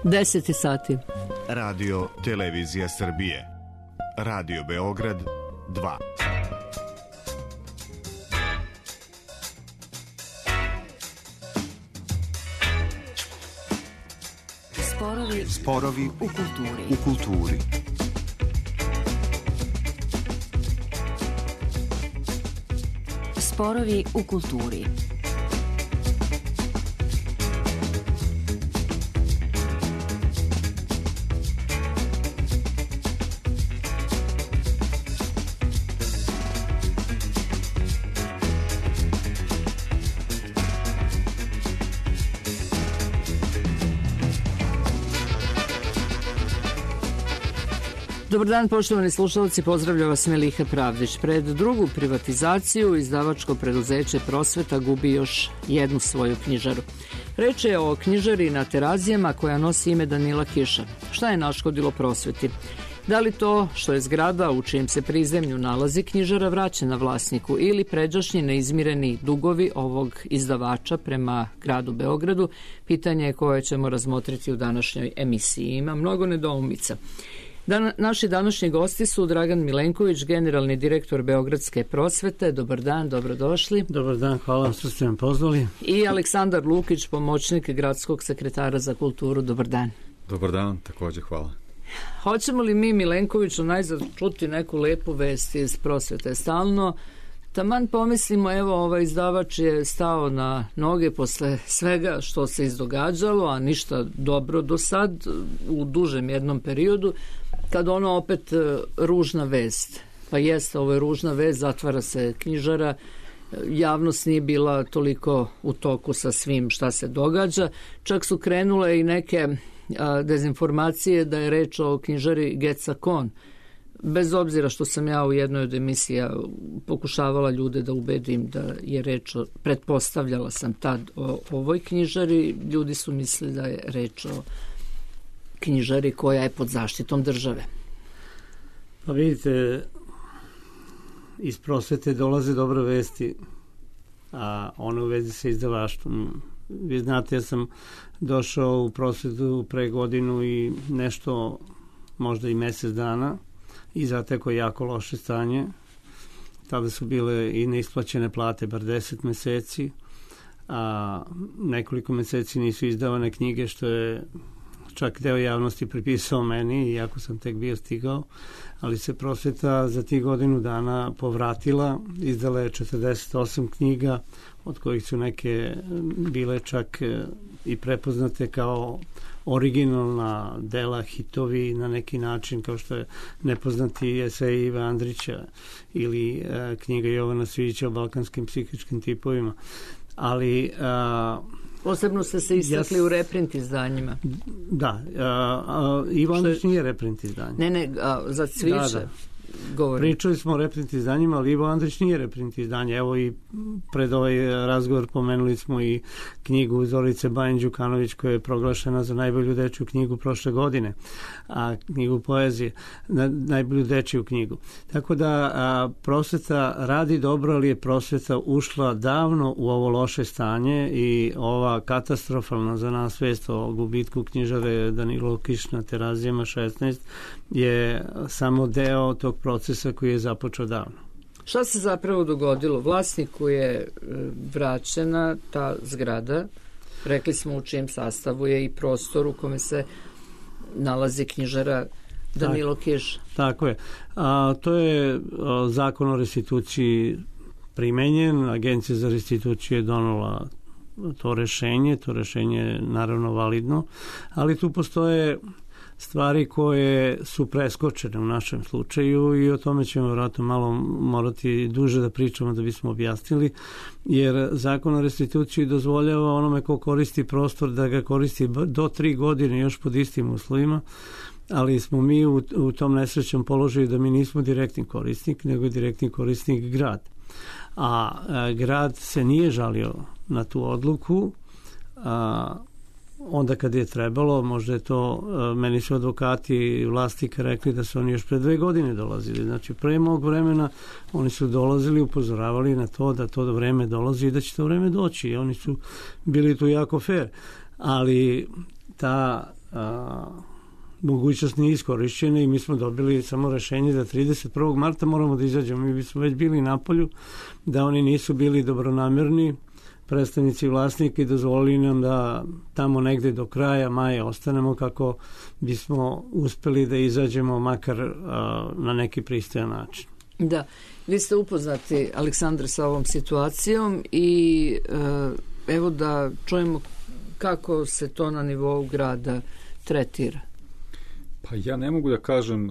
10 sati. Radio Televizija Srbije. Radio Beograd 2. Sporovi u kulturi. Sporovi u kulturi. Dobar dan, poštovani slušalci, pozdravlja vas Meliha Pravdić. Pred drugu privatizaciju izdavačko preduzeće Prosveta gubi još jednu svoju knjižaru. Reč je o knjižari na Terazijama koja nosi ime Danila Kiša. Šta je naškodilo Prosveti? Da li to što je zgrada u čijem se prizemlju nalazi knjižara vraćena vlasniku ili pređašnji neizmireni dugovi ovog izdavača prema gradu Beogradu? Pitanje je koje ćemo razmotriti u današnjoj emisiji. Ima mnogo nedoumica. Naši današnji gosti su Dragan Milenković, generalni direktor Beogradske prosvete. Dobar dan, dobrodošli. Dobar dan, hvala vam što ste nam pozvali. I Aleksandar Lukić, pomoćnik gradskog sekretara za kulturu. Dobar dan. Dobar dan, također hvala. Hoćemo li mi, Milenkoviću, najzad čuti neku lepu vest iz prosvete? Stalno taman pomislimo, evo, ovaj izdavač je stao na noge posle svega što se izdogađalo, a ništa dobro do sad, u dužem jednom periodu, kad ono opet ružna vest. Pa jeste, ovo je ružna vest, zatvara se knjižara, javnost nije bila toliko u toku sa svim šta se događa, čak su krenule i neke dezinformacije da je reč o knjižari Gecakon. Bez obzira što sam ja u jednoj od emisija pokušavala ljude da ubedim da je reč o, pretpostavljala sam tad o ovoj knjižari, ljudi su mislili da je reč o knjižari koja je pod zaštitom države. Pa vidite, iz prosvete dolaze dobre vesti, a one u vezi sa izdavaštvom. Vi znate, ja sam došao u prosvetu pre godinu i nešto, možda i mesec dana, i zateko jako loše stanje. Tada su bile i neisplaćene plate bar 10 meseci, a nekoliko meseci nisu izdavane knjige, što je čak deo javnosti pripisao meni, iako sam tek bio stigao, ali se prosveta za tih godinu dana povratila, izdala je 48 knjiga, od kojih su neke bile čak i prepoznate kao originalna dela, hitovi na neki način, kao što je nepoznati esej Ive Andrića ili knjiga Jovana Svijića o balkanskim psihičkim tipovima. Ali posebno ste se istakli u reprint izdanjima. Da, Ivo Andrić nije reprint izdanje. Ne, za Cvijića. Da. Pričali smo o reprint izdanjima, ali Ivo Andrić nije reprint izdanje. Evo i pred ovaj razgovor pomenuli smo i knjigu Zorice Bajin Đukanović koja je proglašena za najbolju dečju knjigu prošle godine, a knjigu poezije, najbolju dečju knjigu. Tako da prosveta radi dobro, ali je prosveta ušla davno u ovo loše stanje i ova katastrofalna za nas vest o gubitku knjižare Danilo Kiš na Terazijama 16 je samo deo tog procesa koji je započeo davno. Šta se zapravo dogodilo? Vlasniku je vraćena ta zgrada, rekli smo u čijem sastavu je i prostor u kome se nalazi knjižara Danilo Kiš. Tako je. To je zakon o restituciji primenjen, Agencija za restituciju je donela to rešenje je naravno validno, ali tu postoje stvari koje su preskočene u našem slučaju i o tome ćemo vjerojatno malo morati duže da pričamo da bismo objasnili, jer zakon o restituciji dozvoljava onome ko koristi prostor da ga koristi do 3 godine još pod istim uslovima, ali smo mi u tom nesrećnom položaju da mi nismo direktni korisnik, nego je direktni korisnik grad. A grad se nije žalio na tu odluku, onda kad je trebalo, možda je to, meni su advokati i vlasnika rekli da su oni još pre 2 godine dolazili. Znači, pre mog vremena oni su dolazili, upozoravali na to da to vreme dolazi i da će to vreme doći. I oni su bili tu jako fair. Ali ta mogućnost nije iskorišćena i mi smo dobili samo rešenje da 31. marta moramo da izađemo. Mi bismo već bili na polju, da oni nisu bili dobronamerni predstavnici vlasnika i dozvolili nam da tamo negde do kraja maja ostanemo kako bismo uspeli da izađemo makar na neki pristojan način. Da, vi ste upoznati, Aleksandre, sa ovom situacijom i evo da čujemo kako se to na nivou grada tretira. Pa ja ne mogu da kažem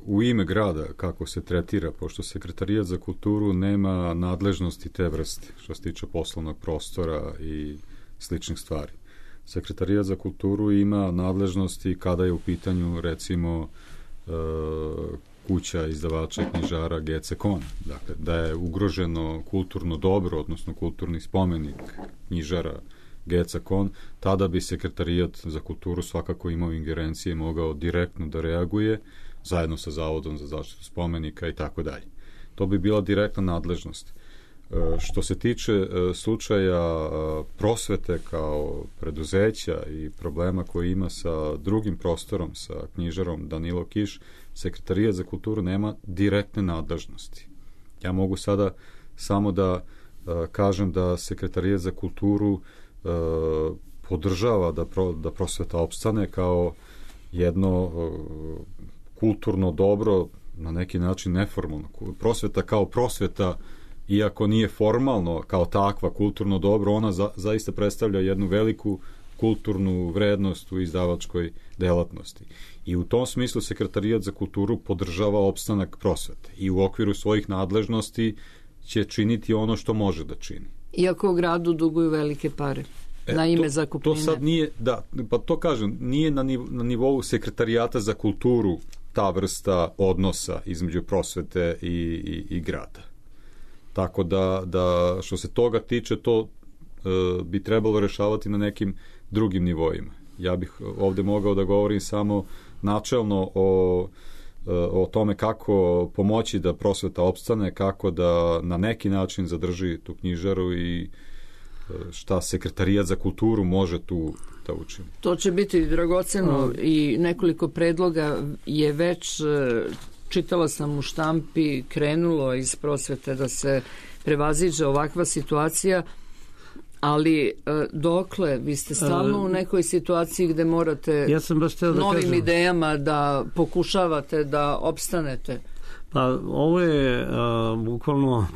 u ime grada kako se tretira, pošto Sekretarijat za kulturu nema nadležnosti te vrste što se tiče poslovnog prostora i sličnih stvari. Sekretarijat za kulturu ima nadležnosti kada je u pitanju recimo kuća izdavača i knjižara GC Kon. Dakle, da je ugroženo kulturno dobro, odnosno kulturni spomenik knjižara GC Kon, tada bi Sekretarijat za kulturu svakako imao ingerencije, mogao direktno da reaguje zajedno sa Zavodom za zaštitu spomenika i tako dalje. To bi bila direktna nadležnost. Što se tiče slučaja prosvete kao preduzeća i problema koji ima sa drugim prostorom, sa knjižarom Danilo Kiš, Sekretarijat za kulturu nema direktne nadležnosti. Ja mogu sada samo da kažem da Sekretarijat za kulturu podržava da prosveta opstane kao jedno kulturno dobro, na neki način neformalno. Prosveta kao prosveta, iako nije formalno kao takva kulturno dobro, ona zaista predstavlja jednu veliku kulturnu vrednost u izdavačkoj delatnosti. I u tom smislu Sekretarijat za kulturu podržava opstanak prosvete i u okviru svojih nadležnosti će činiti ono što može da čini. Iako u gradu duguju velike pare na ime zakupnine. To sad nije, da, pa to kažem, nije na nivou Sekretarijata za kulturu ta vrsta odnosa između prosvete i grada. Tako da što se toga tiče, to bi trebalo rešavati na nekim drugim nivoima. Ja bih ovde mogao da govorim samo načelno o tome kako pomoći da prosveta opstane, kako da na neki način zadrži tu knjižaru i šta Sekretarijat za kulturu može tu da učini. To će biti dragoceno i nekoliko predloga je već, čitala sam u štampi, krenulo iz prosvete da se prevaziđe ovakva situacija, ali dokle, vi ste stalno u nekoj situaciji gde morate novim idejama da pokušavate da opstanete. Pa ovo je bukvalno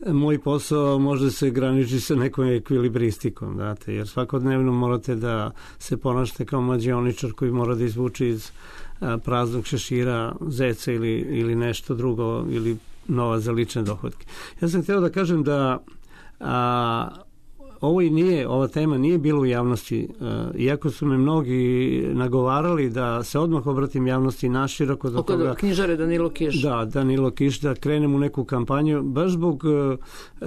moj posao, može se graniči sa nekom ekvilibristikom, znate, jer svakodnevno morate da se ponašate kao mađioničar koji mora da izvuče iz praznog šešira zeca ili nešto drugo ili novac za lične dohodke. Ja sam hteo da kažem da ova tema nije bila u javnosti, iako su me mnogi nagovarali da se odmah obratim javnosti naširoko do toga. Oko knjižare Danilo Kiš. Da, Danilo Kiš, da krenem u neku kampanju, baš zbog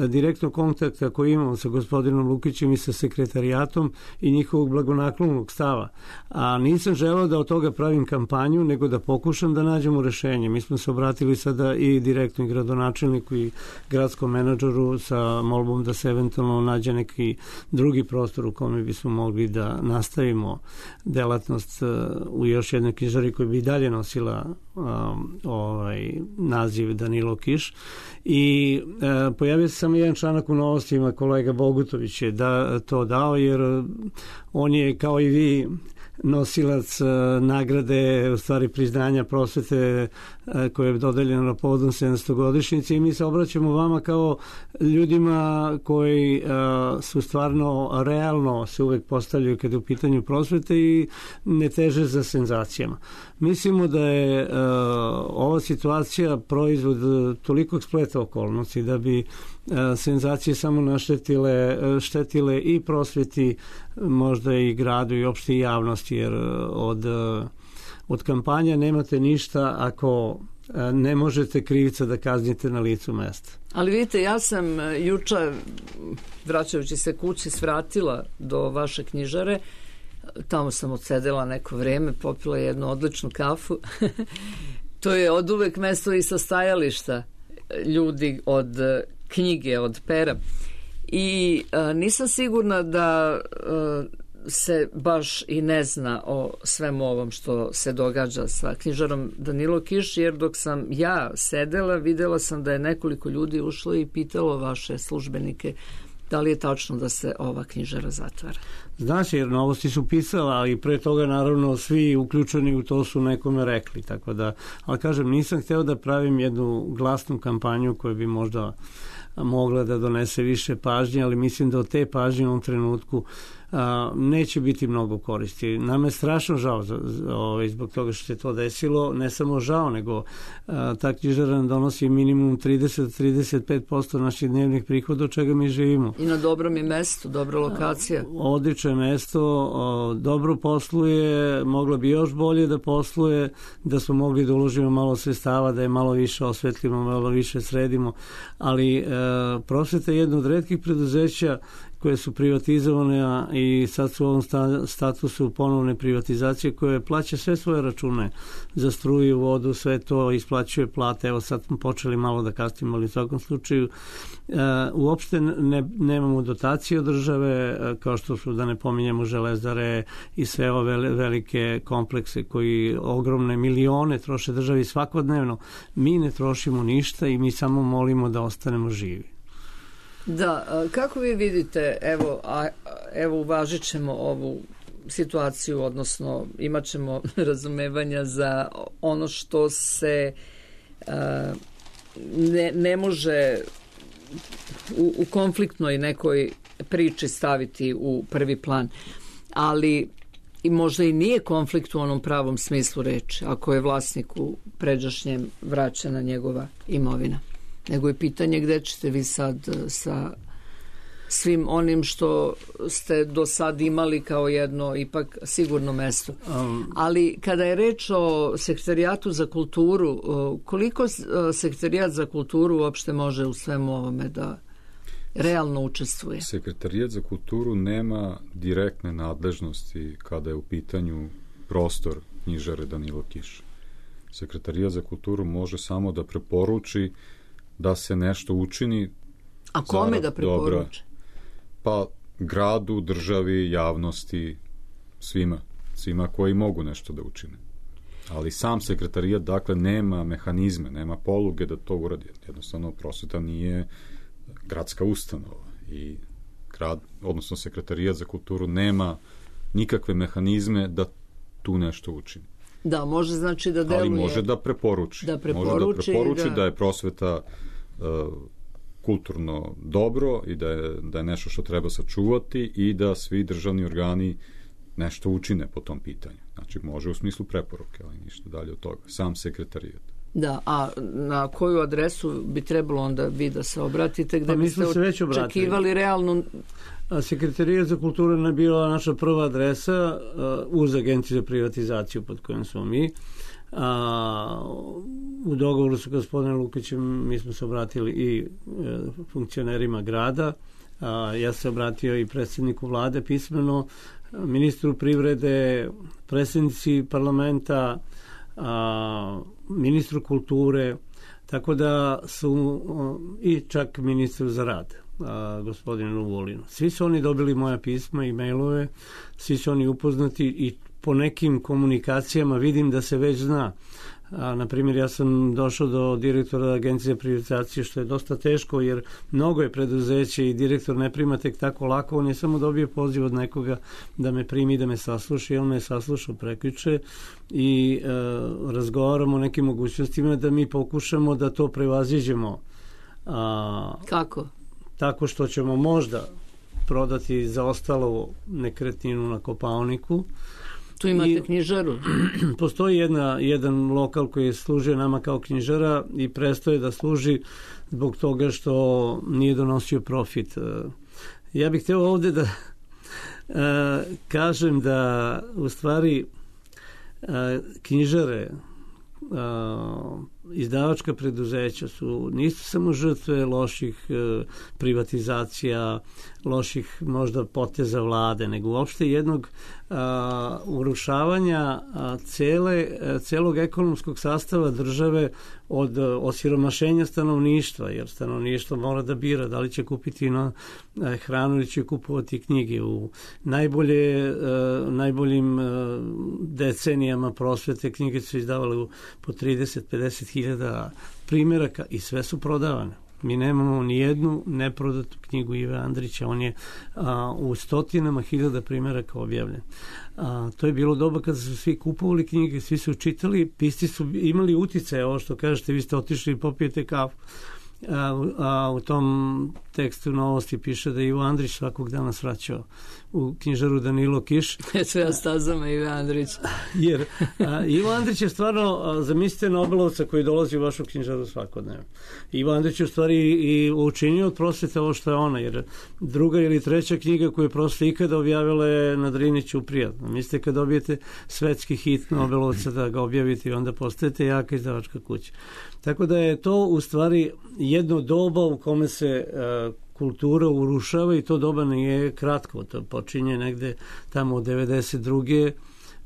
direktnog kontakta koji imamo sa gospodinom Lukićem i sa sekretarijatom i njihovog blagonaklonog stava. A nisam želeo da od toga pravim kampanju, nego da pokušam da nađemo rešenje. Mi smo se obratili sada i direktno i gradonačelniku i gradskom menadžeru sa molbom da se eventualno nađe neki drugi prostor u kome bismo mogli da nastavimo delatnost u još jednoj knjižari koja bi i dalje nosila naziv Danilo Kiš. I pojavio se samo jedan članak u Novostima, kolega Bogutović je to dao, jer on je kao i vi nosilac nagrade, u stvari priznanja prosvete koje je dodeljeno na povodom 700-godišnjice i mi se obraćamo vama kao ljudima koji su stvarno realno se uvek postavljaju kada je u pitanju prosvete i ne teže za senzacijama. Mislimo da je ova situacija proizvod tolikog spleta okolnosti da bi senzacije samo štetile i prosveti, možda i gradu i opšte javnosti, jer od kampanja nemate ništa ako ne možete krivica da kaznite na licu mesta. Ali vidite, ja sam juče, vraćajući se kući, svratila do vaše knjižare, tamo sam odsedela neko vreme, popila jednu odličnu kafu. To je od uvek mesto i sastajališta ljudi od knjige, od pera. I nisam sigurna da se baš i ne zna o svemu ovom što se događa sa knjižarom Danilo Kiš, jer dok sam ja sedela, videla sam da je nekoliko ljudi ušlo i pitalo vaše službenike da li je tačno da se ova knjižara zatvara. Znaš, jer Novosti su pisala, ali pre toga naravno svi uključeni u to su nekome rekli, tako da, ali kažem, nisam hteo da pravim jednu glasnu kampanju koja bi možda mogla da donese više pažnje, ali mislim da od te pažnje u ovom trenutku neće biti mnogo koristi. Nam je strašno žao zbog toga što se to desilo, ne samo žao, nego ta knjižara nam donosi minimum 30-35% naših dnevnih prihoda, od čega mi živimo. I na dobrom je mesto, dobra lokacija. Odlično je mesto, dobro posluje, mogla bi još bolje da posluje, da smo mogli da uložimo malo sredstava, da je malo više osvetlimo, malo više sredimo, ali Prosveta je jedno od retkih preduzeća koje su privatizovane i sad su u ovom statusu ponovne privatizacije koje plaća sve svoje račune za struju, vodu, sve to, isplaćuje plate. Evo sad smo počeli malo da kasnimo, ali u svakom slučaju uopšte nemamo dotacije od države, kao što su, da ne pominjemo, Železare i sve ove velike komplekse koji ogromne milione troše državi svakodnevno. Mi ne trošimo ništa i mi samo molimo da ostanemo živi. Da, kako vi vidite, evo uvažit ćemo ovu situaciju, odnosno imat ćemo razumevanja za ono što se ne može u konfliktnoj nekoj priči staviti u prvi plan, ali i možda i nije konflikt u onom pravom smislu reči, ako je vlasniku pređašnjem vraćena njegova imovina. Nego je pitanje gde ćete vi sad sa svim onim što ste do sad imali kao jedno ipak sigurno mesto. Ali kada je reč o Sekretarijatu za kulturu, koliko Sekretarijat za kulturu uopšte može u svemu ovome da realno učestvuje? Sekretarijat za kulturu nema direktne nadležnosti kada je u pitanju prostor knjižare Danilo Kiš. Sekretarijat za kulturu može samo da preporuči da se nešto učini. A kome da preporuče? Pa gradu, državi, javnosti, svima koji mogu nešto da učine. Ali sam sekretarijat, dakle, nema mehanizme, nema poluge da to uradi. Jednostavno, prosveta nije gradska ustanova i grad, odnosno sekretarijat za kulturu nema nikakve mehanizme da tu nešto učini. Da, može znači da deluje. Ali može da preporuči. Da je prosveta kulturno dobro i da je nešto što treba sačuvati i da svi državni organi nešto učine po tom pitanju. Znači, može u smislu preporuke, ali ništa dalje od toga. Sam sekretarijat. Da, a na koju adresu bi trebalo onda vi da se obratite, gde biste očekivali realno? Sekretarijat za kulturu je bila naša prva adresa uz Agenciju za privatizaciju pod kojom smo mi. U dogovoru sa gospodinom Lukićem mi smo se obratili i funkcionerima grada. Ja se obratio i predsjedniku vlade pismeno, ministru privrede, predsjednici parlamenta, ministru kulture, tako da su i čak ministru za rad, gospodinu Vulinu. Svi su oni dobili moja pisma i mailove, svi su oni upoznati i po nekim komunikacijama vidim da se već zna. Na primjer, ja sam došao do direktora Agencije za privatizaciju, što je dosta teško, jer mnogo je preduzeće i direktor ne prima tek tako lako, on je samo dobio poziv od nekoga da me primi, da me sasluša, i on me saslušao prekjuče i razgovaramo o nekim mogućnostima da mi pokušamo da to prevaziđemo. Kako? Tako što ćemo možda prodati zaostalu nekretninu na Kopaoniku. Tu imate knjižaru? Postoji jedan lokal koji služi nama kao knjižara i prestaje da služi zbog toga što nije donosio profit. Ja bih hteo ovde da kažem da u stvari knjižare izdavačka preduzeća nisu samo žrtve loših privatizacija, loših možda poteza vlade, nego uopšte jednog urušavanja celog ekonomskog sastava države od osiromašenja stanovništva, jer stanovništvo mora da bira da li će kupiti hranu ili će kupovati knjige. U najboljim decenijama prosvete knjige su izdavale po 30-50 hiljada primjeraka i sve su prodavane. Mi nemamo ni jednu neprodatu knjigu Ive Andrića, on je u stotinama hiljada primjeraka objavljen. To je bilo doba kada su svi kupovali knjige, svi su čitali, pisci su imali uticaje, ovo što kažete, vi ste otišli i popijete kafu. U tom tekstu Novosti piše da je Ivo Andrić svakog dana svraćao u knjižaru Danilo Kiš. Sve stazama Ivo Andrić. Jer Ivo Andrić je stvarno, zamislite Nobelovca koji dolazi u vašu knjižaru svakodnevno. Ivo Andrić je u stvari i učinio od prosvete ovo što je ona, jer druga ili treća knjiga koju je prosveta ikada objavila je na Drini Ćuprija. Mislite kad dobijete svetski hit Nobelovca da ga objavite i onda postajete jaka izdavačka kuća. Tako da je to u stvari jedno doba u kome se kultura urušava i to doba nije kratko. To počinje negde tamo od 92.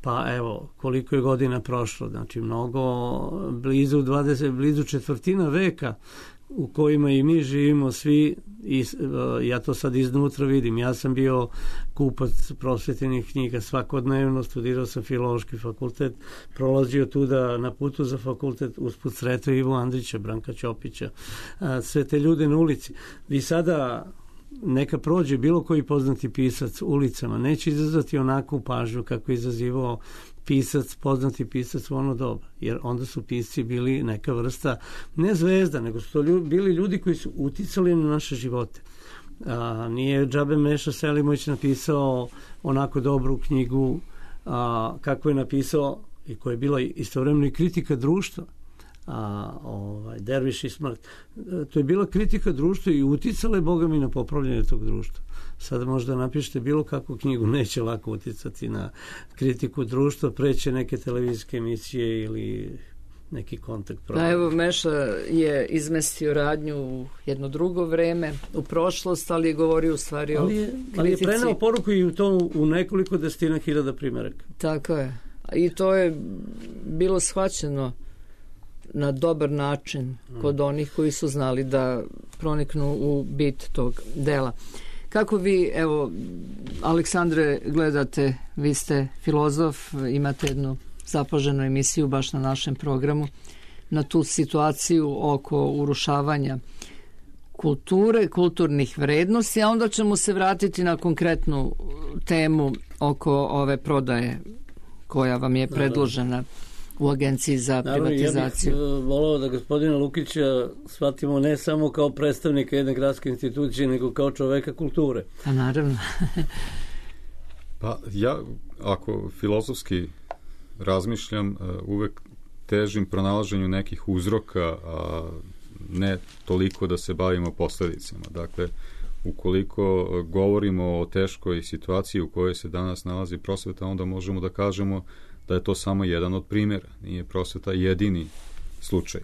Pa evo, koliko je godina prošlo. Znači, blizu četvrtina veka u kojima i mi živimo svi, i ja to sad iznutra vidim. Ja sam bio kupac prosvetenih knjiga svakodnevno, studirao sam Filološki fakultet, prolazio tuda na putu za fakultet, usput sretao Ivo Andrića, Branka Ćopića, sve te ljude na ulici. Vi sada neka prođe bilo koji poznati pisac ulicama, neće izazvati onakvu pažnju kako je izazivao poznati pisac u ono doba, jer onda su pisci bili neka vrsta, ne zvezda, nego su to bili ljudi koji su uticali na naše živote. Nije džabe Meša Selimović napisao onako dobru knjigu kako je napisao i koja je bila istovremeno i kritika društva, Derviš i smrt. To je bila kritika društva i uticala je Boga mi na popravljanje tog društva. Sada možda napišete bilo kakvu knjigu, neće lako uticati na kritiku društva, preće neke televizijske emisije ili neki kontakt program. Evo, Meša je izmestio radnju u jedno drugo vreme, u prošlost, ali je govorio u stvari o kritici. Ali je prenao poruku i u nekoliko desetina hiljada primjeraka. Tako je. I to je bilo shvaćeno na dobar način kod onih koji su znali da proniknu u bit tog dela. Kako vi, evo, Aleksandre, gledate, vi ste filozof, imate jednu zapaženu emisiju baš na našem programu, na tu situaciju oko urušavanja kulture, kulturnih vrednosti, a onda ćemo se vratiti na konkretnu temu oko ove prodaje koja vam je predložena u Agenciji za privatizaciju. Ja bih volao da gospodina Lukića shvatimo ne samo kao predstavnika jedne gradske institucije, nego kao čoveka kulture. A naravno. Pa ja, ako filozofski razmišljam, uvek težim pronalaženju nekih uzroka, a ne toliko da se bavimo posledicama. Dakle, ukoliko govorimo o teškoj situaciji u kojoj se danas nalazi prosveta, onda možemo da kažemo da je to samo jedan od primjera. Nije prosveta jedini slučaj.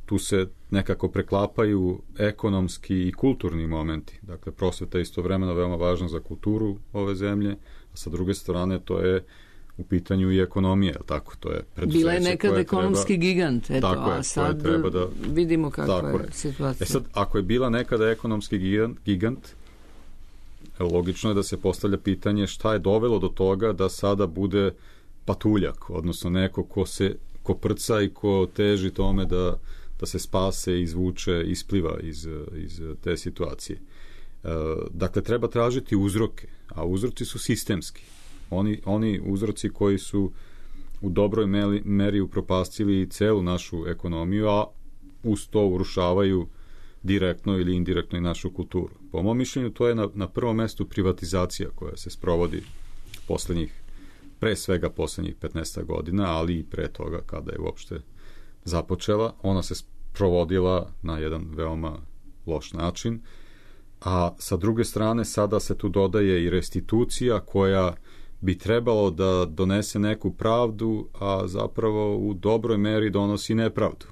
Tu se nekako preklapaju ekonomski i kulturni momenti. Dakle, prosveta je istovremeno veoma važna za kulturu ove zemlje, a sa druge strane to je u pitanju i ekonomije, tako? To je preduzeće. Bila je nekad ekonomski gigant, eto, tako je, a sad vidimo kakva je situacija. Sad, ako je bila nekada ekonomski gigant, logično je da se postavlja pitanje šta je dovelo do toga da sada bude patuljak, odnosno neko ko prca i ko teži tome da se spase, izvuče, ispliva iz te situacije. Dakle, treba tražiti uzroke, a uzroci su sistemski. Oni uzroci koji su u dobroj meri upropastili celu našu ekonomiju, a uz to urušavaju direktno ili indirektno i našu kulturu. Po mom mišljenju, to je na prvom mestu privatizacija koja se sprovodi pre svega poslednjih 15 godina, ali i pre toga kada je uopšte započela. Ona se sprovodila na jedan veoma loš način, a sa druge strane sada se tu dodaje i restitucija koja bi trebalo da donese neku pravdu, a zapravo u dobroj meri donosi nepravdu.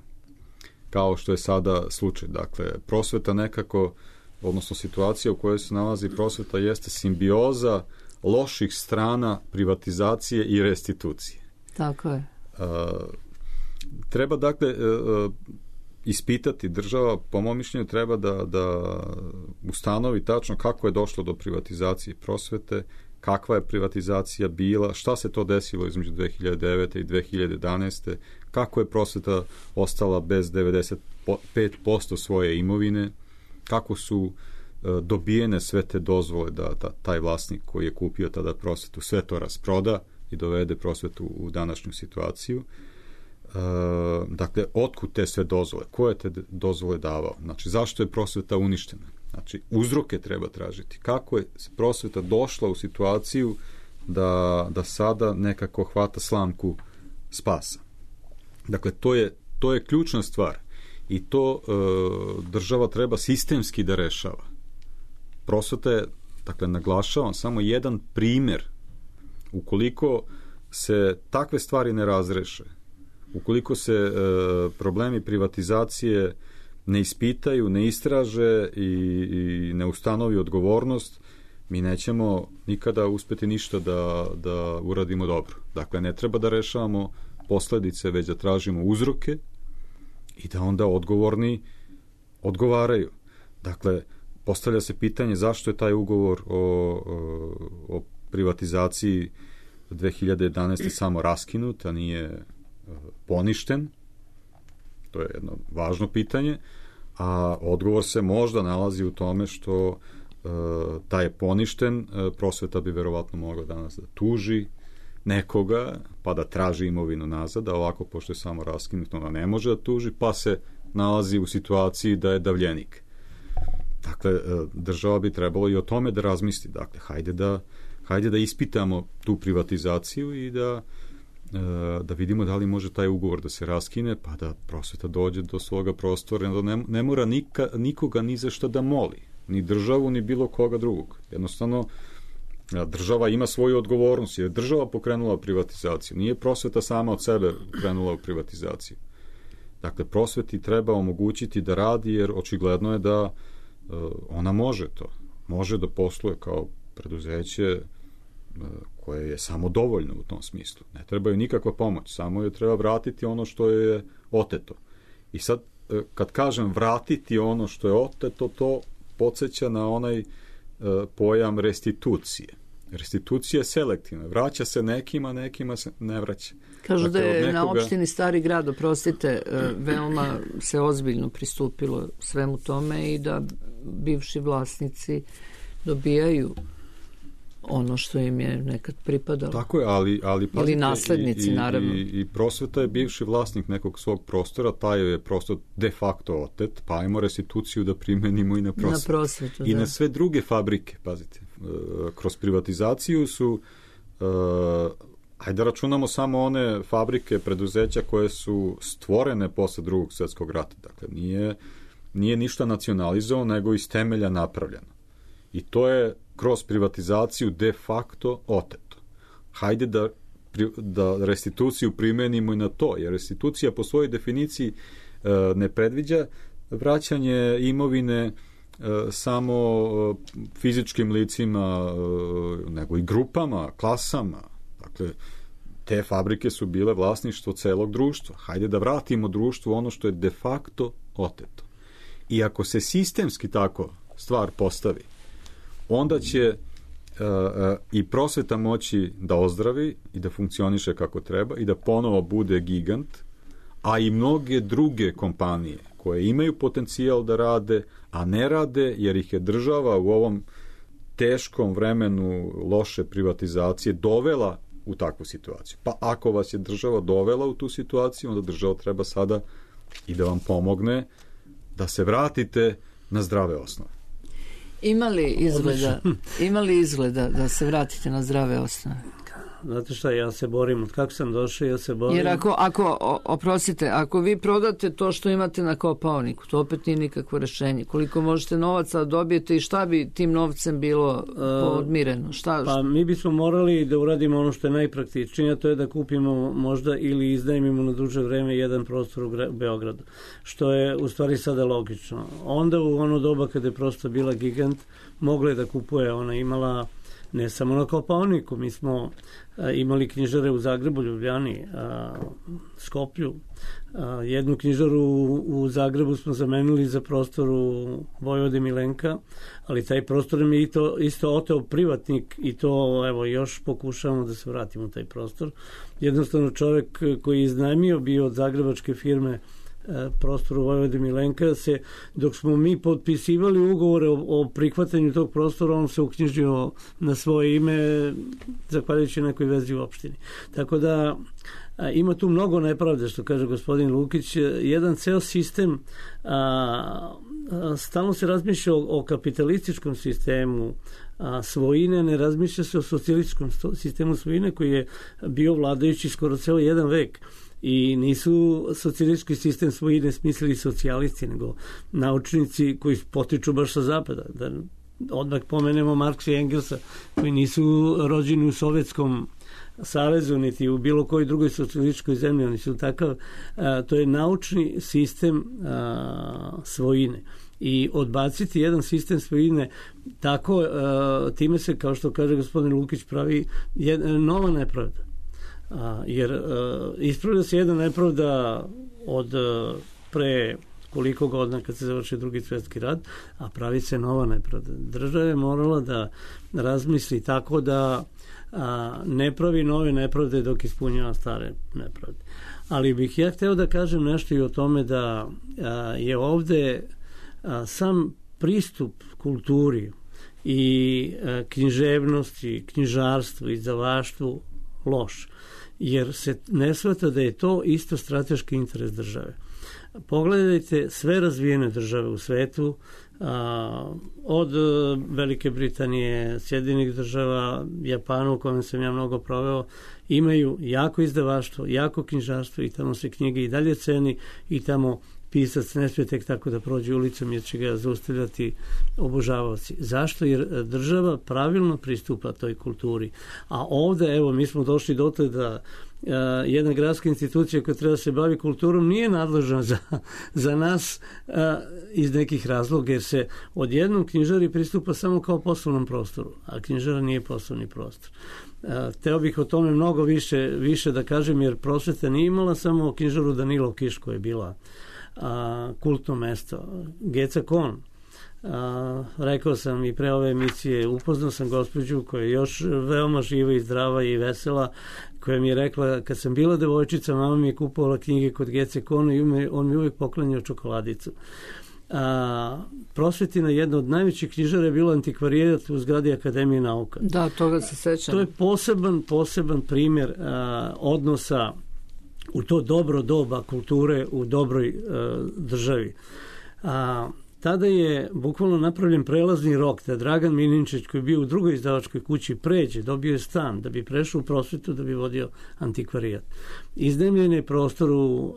Kao što je sada slučaj. Dakle, prosveta nekako, odnosno situacija u kojoj se nalazi prosveta jeste simbioza loših strana privatizacije i restitucije. Tako je. Treba, dakle, ispitati, država, po mom mišljenju, treba da ustanovi tačno kako je došlo do privatizacije prosvete, kakva je privatizacija bila, šta se to desilo između 2009. i 2011. Kako je prosveta ostala bez 95% svoje imovine, kako su dobijene sve te dozvole da taj vlasnik koji je kupio tada prosvetu sve to rasproda i dovede prosvetu u današnju situaciju. Dakle, otkud te sve dozvole? Ko je te dozvole davao? Znači, zašto je prosveta uništena? Znači, uzroke treba tražiti. Kako je prosveta došla u situaciju da sada nekako hvata slamku spasa? Dakle, to je ključna stvar i to država treba sistemski da rešava. Prosveta je, dakle, naglašavam, samo jedan primer. Ukoliko se takve stvari ne razreše, ukoliko se problemi privatizacije ne ispitaju, ne istraže i ne ustanovi odgovornost, mi nećemo nikada uspeti ništa da uradimo dobro. Dakle, ne treba da rešavamo posledice, već da tražimo uzroke i da onda odgovorni odgovaraju. Dakle, postavlja se pitanje zašto je taj ugovor o privatizaciji 2011. samo raskinut, a nije poništen. To je jedno važno pitanje, a odgovor se možda nalazi u tome što da je poništen, prosveta bi verovatno mogla danas da tuži nekoga, pa da traži imovinu nazad, a ovako, pošto je samo raskinut, ona ne može da tuži, pa se nalazi u situaciji da je davljenik. Dakle, država bi trebalo i o tome da razmisli. Dakle, hajde da ispitamo tu privatizaciju i da vidimo da li može taj ugovor da se raskine, pa da prosveta dođe do svoga prostora, da ne mora nikoga ni za šta da moli, ni državu, ni bilo koga drugog. Jednostavno, država ima svoju odgovornost, jer država pokrenula privatizaciju. Nije prosveta sama od sebe krenula u privatizaciju. Dakle, prosveti treba omogućiti da radi, jer očigledno je da ona može to. Može da posluje kao preduzeće koje je samodovoljno u tom smislu. Ne treba joj nikakva pomoć, samo joj treba vratiti ono što je oteto. I sad, kad kažem vratiti ono što je oteto, to podsjeća na onaj pojam restitucije. Restitucija je selektivna. Vraća se nekima se ne vraća. Kažu da je na opštini Stari Grad, oprostite, veoma se ozbiljno pristupilo svemu tome i da bivši vlasnici dobijaju ono što im je nekad pripadalo. Tako je, ali pazite, ili naslednici, naravno. I prosveta je bivši vlasnik nekog svog prostora, taj je prostor de facto otet, pa ajmo restituciju da primenimo i na prosvetu. I na sve druge fabrike, pazite. Kroz privatizaciju su, hajde računamo samo one fabrike, preduzeća koje su stvorene posle Drugog svjetskog rata. Dakle, nije ništa nacionalizovano, nego iz temelja napravljeno. I to je kroz privatizaciju de facto oteto. Hajde da restituciju primenimo i na to, jer restitucija po svojoj definiciji ne predviđa vraćanje imovine samo fizičkim licima, nego i grupama, klasama. Dakle, te fabrike su bile vlasništvo celog društva. Hajde da vratimo društvu ono što je de facto oteto. I ako se sistemski tako stvar postavi, onda će i prosveta moći da ozdravi i da funkcioniše kako treba i da ponovo bude gigant, a i mnoge druge kompanije koje imaju potencijal da rade, a ne rade jer ih je država u ovom teškom vremenu loše privatizacije dovela u takvu situaciju. Pa ako vas je država dovela u tu situaciju, onda država treba sada i da vam pomogne da se vratite na zdrave osnove. Ima li izgleda da se vratite na zdrave osnove? znate šta, ja se borim, od kako sam došao, ja se borim. Jer oprostite, ako vi prodate to što imate na kopaoniku, to opet nije nikakvo rešenje. Koliko možete novaca dobijete i šta bi tim novcem bilo podmireno? Pa mi bismo morali da uradimo ono što je najpraktičnije, a to je da kupimo možda ili iznajmimo na duže vreme jedan prostor u Beogradu, što je u stvari sada logično. Onda u ono doba kada je prosto bila gigant, mogla je da kupuje, ona imala ne samo na Kopaoniku, mi smo imali knjižare u Zagrebu, Ljubljani, Skoplju. Jednu knjižaru u Zagrebu smo zamenili za prostor u Vojvode Milenka, ali taj prostor mi je isto oteo privatnik i to evo još pokušavamo da se vratimo u taj prostor. Jednostavno čovjek koji je iznajmio bio od zagrebačke firme prostoru Vojvode Milenka, dok smo mi potpisivali ugovore o prihvatanju tog prostora, on se uknjižio na svoje ime zahvaljujući nekoj vezi u opštini. Tako da ima tu mnogo nepravde, što kaže gospodin Lukić. Jedan ceo sistem, stalno se razmišlja o kapitalističkom sistemu svojine, ne razmišlja se o socijalističkom sistemu svojine koji je bio vladajući skoro ceo jedan vek. I nisu socijalistički sistem svojine smislili socijalisti, nego naučnici koji potiču baš sa zapada. Da odmah pomenemo Marksa i Engelsa, koji nisu rođeni u Sovjetskom savezu, niti u bilo kojoj drugoj socijalističkoj zemlji. Oni su takav, to je naučni sistem svojine. I odbaciti jedan sistem svojine tako, time se, kao što kaže gospodin Lukić, pravi nova nepravda. Jer ispravlja se jedna nepravda od pre koliko godina kad se završi Drugi svjetski rat, a pravi se nova nepravda. Država je morala da razmisli tako da ne pravi nove nepravde dok ispunjava stare nepravde. Ali bih ja hteo da kažem nešto i o tome da je ovde sam pristup kulturi i književnosti, knjižarstvu, izdavaštvu loš, jer se ne shvata da je to isto strateški interes države. Pogledajte sve razvijene države u svetu, od Velike Britanije, Sjedinjenih država, Japanu, u kojem sam ja mnogo proveo, imaju jako izdavaštvo, jako knjižarstvo i tamo se knjige i dalje ceni i tamo pisac ne smije tek tako da prođe ulicom jer će ga zaustavljati obožavaoci. Zašto? Jer država pravilno pristupa toj kulturi. A ovde, evo, mi smo došli dotle da jedna gradska institucija koja treba da se bavi kulturom nije nadležna za nas iz nekih razloga, jer se odjednom knjižari pristupa samo kao poslovnom prostoru, a knjižara nije poslovni prostor. Teo bih o tome mnogo više da kažem, jer prosveta nije imala samo knjižaru Danilo Kiš koja je bila kultno mesto. Geca Kon, rekao sam i pre ove emisije, upoznao sam gospođu koja je još veoma živa i zdrava i vesela, koja mi je rekla, kad sam bila devojčica, mama mi je kupovala knjige kod Gece Kona i on mi uvijek poklanjao čokoladicu. Prosvetina, jedna od najvećih knjižara je bilo antikvarijat u zgradi Akademije nauka. Da, toga se sećam. To je poseban primjer odnosa u to dobro doba kulture u dobroj državi. Tada je bukvalno napravljen prelazni rok da Dragan Milinčić, koji je bio u drugoj izdavačkoj kući, pređe, dobio je stan da bi prešao u prosvetu, da bi vodio antikvarijat. Iznajmljen je prostoru,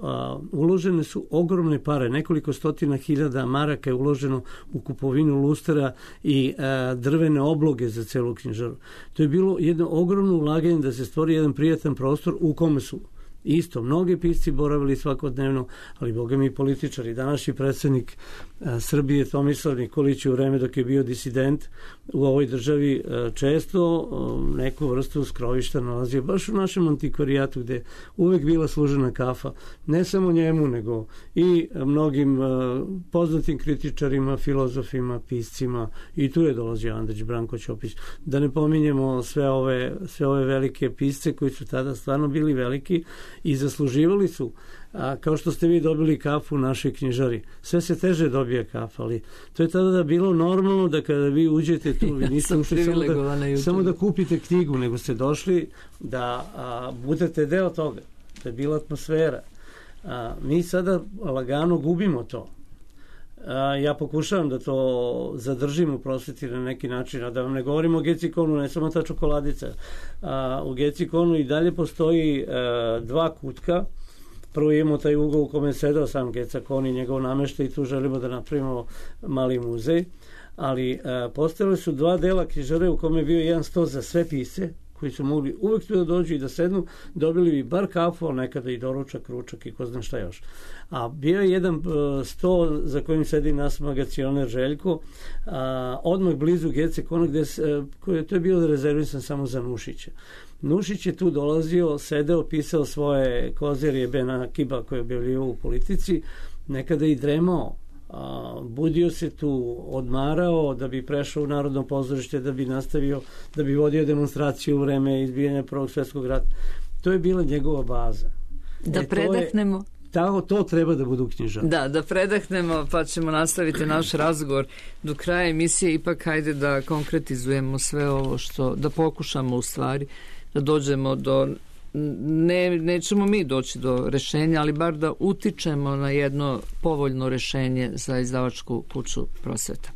uložene su ogromne pare, nekoliko stotina hiljada maraka je uloženo u kupovinu lustera i drvene obloge za celu knjižaru. To je bilo jedno ogromno ulaganje da se stvori jedan prijatan prostor u kome su isto mnogi pisci boravili svakodnevno, ali boga mi i političari. Današnji predsjednik Srbije Tomislav Nikolić u vreme dok je bio disident u ovoj državi često neku vrstu skrovišta nalazio baš u našem antikvarijatu gde uvek bila služena kafa. Ne samo njemu, nego i mnogim poznatim kritičarima, filozofima, piscima, i tu je dolazio Andrić, Branko Ćopić. Da ne pominjemo sve ove velike pisce koji su tada stvarno bili veliki i zasluživali su, kao što ste vi dobili kafu u našoj knjižari. Sve se teže dobija kafa, ali to je tada bilo normalno da kada vi uđete tu, vi niste ušli samo da kupite knjigu, nego ste došli da budete deo toga, da je bila atmosfera. Mi sada lagano gubimo to. Ja pokušavam da to zadržim u prosveti na neki način, a da vam ne govorim o Gecikonu, ne samo ta čokoladica. U Gecikonu i dalje postoji 2 kutka. Prvo imamo taj ugao u kome je sedao sam Gecikon i njegov nameštaj i tu želimo da napravimo mali muzej. Ali postojale su 2 dela knjižare u kome je bio jedan sto za sve pisce, koji su mogli uvek tu da dođu i da sednu, dobili bi bar kafu, ali nekada i doručak, ručak i ko zna šta još. A bio je jedan sto za kojim sedi nas magacioner Željko, odmah blizu Gecikona, to je bilo rezervisan samo za Nušića. Nušić je tu dolazio, sedeo, pisao svoje kozerije Bena Kiba koje je objavljivao u Politici, nekada i dremao. Budio se tu, odmarao da bi prešao u Narodno pozorište, da bi nastavio, da bi vodio demonstraciju u vreme izbijanja Prvog svjetskog rata. To je bila njegova baza. Da predahnemo. To treba da budu knjižare. Da predahnemo, pa ćemo nastaviti naš razgovor do kraja emisije. Ipak hajde da konkretizujemo sve ovo da pokušamo u stvari da dođemo do nećemo mi doći do rešenja, ali bar da utičemo na jedno povoljno rešenje za izdavačku kuću Prosveta.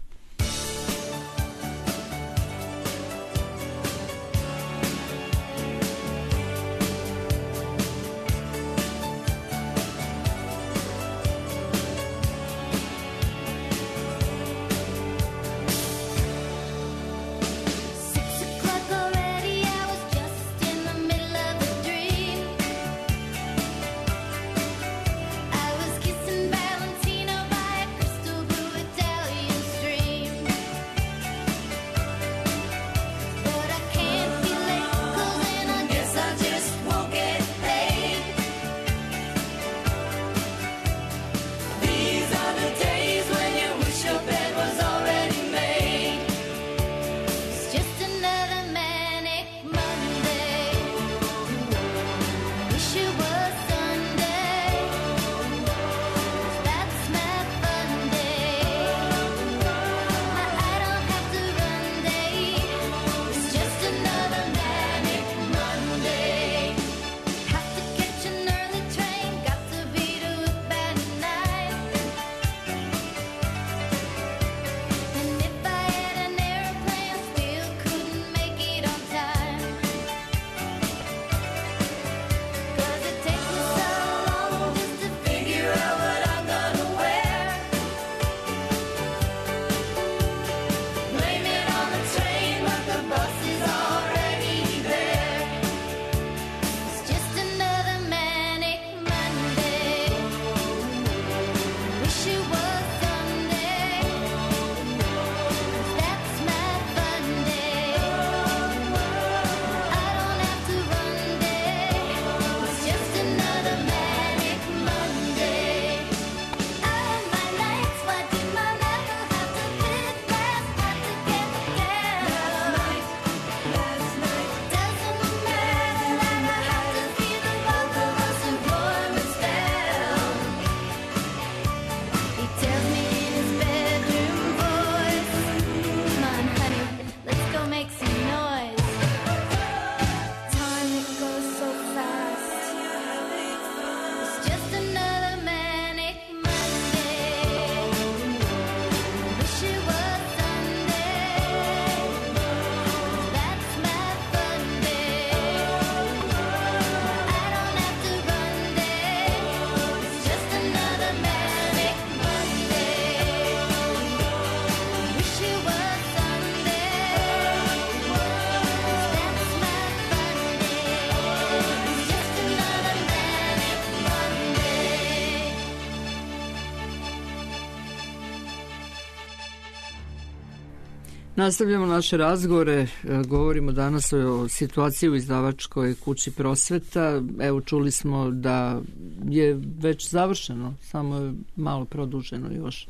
Nastavljamo naše razgovore, govorimo danas o situaciji u izdavačkoj kući Prosveta. Evo, čuli smo da je već završeno, samo je malo produženo još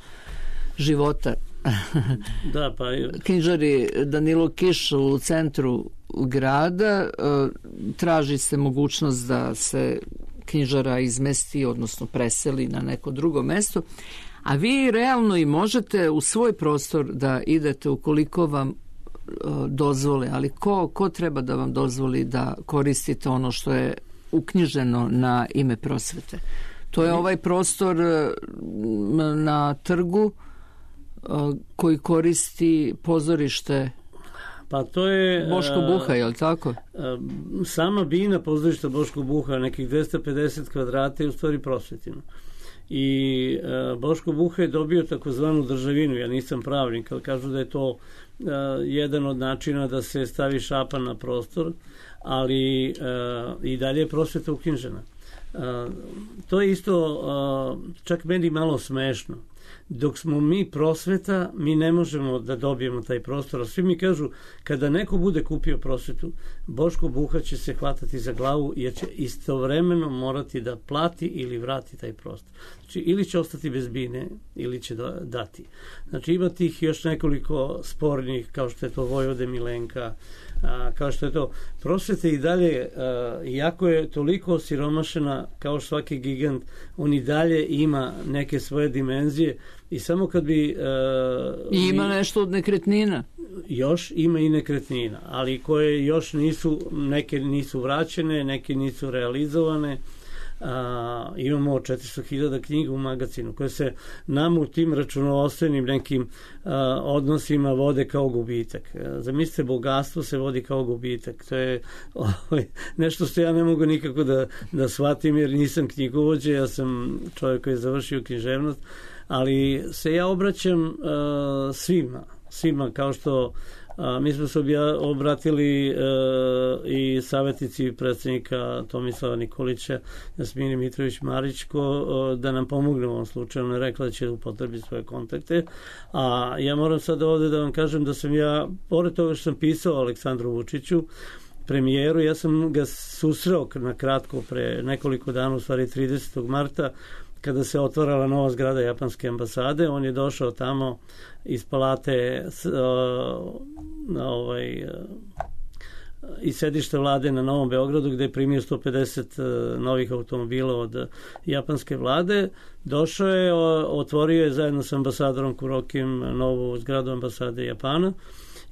života. Da, pa knjižari Danilo Kiš u centru grada, traži se mogućnost da se knjižara izmesti, odnosno preseli na neko drugo mesto. A vi realno i možete u svoj prostor da idete ukoliko vam dozvole, ali ko treba da vam dozvoli da koristite ono što je uknjiženo na ime Prosvete? To je ovaj prostor na trgu koji koristi pozorište Pa to je Boško Buha, je li tako? Sama bina pozorišta Boško Buha, nekih 250 kvadrata je u stvari prosvetina. I Boško Buha je dobio takozvanu državinu, ja nisam pravnik, ali kažu da je to jedan od načina da se stavi šapa na prostor, ali i dalje je prosveta uknjižena. To je isto čak meni malo smešno. Dok smo mi prosveta, mi ne možemo da dobijemo taj prostor. A svi mi kažu, kada neko bude kupio prosvetu, Boško Buha će se hvatati za glavu jer će istovremeno morati da plati ili vrati taj prostor. Znači, ili će ostati bez bine, ili će dati. Znači, ima tih još nekoliko spornih, kao što je to Vojvode Milenka, kao što je to prosveta i dalje, iako je toliko osiromašena kao svaki gigant, on i dalje ima neke svoje dimenzije i samo kad bi... I ima nešto od nekretnina. Još ima i nekretnina, ali koje još nisu, neke nisu vraćene, neke nisu realizovane. Imamo 400.000 knjiga u magazinu koje se nam u tim računovodstvenim nekim odnosima vode kao gubitak. Zamislite, bogatstvo se vodi kao gubitak. To je nešto što ja ne mogu nikako da shvatim jer nisam knjigovođa, ja sam čovjek koji je završio književnost, ali se ja obraćam svima kao što mi smo se obratili i savjetnici predsjednika Tomislava Nikolića, Jasmini Mitrović-Marić, da nam pomogne u ovom slučaju. Ona je rekla da će upotrebiti svoje kontakte. A ja moram sada ovdje da vam kažem da sam ja, pored toga što sam pisao Aleksandru Vučiću, premijeru, ja sam ga susreo na kratko pre nekoliko dana, u stvari 30. marta, kada se otvarala nova zgrada japanske ambasade. On je došao tamo iz palate iz sedišta vlade na Novom Beogradu, gde je primio 150 novih automobila od japanske vlade. Došao je, otvorio je zajedno sa ambasadorom Kurokim novu zgradu ambasade Japana.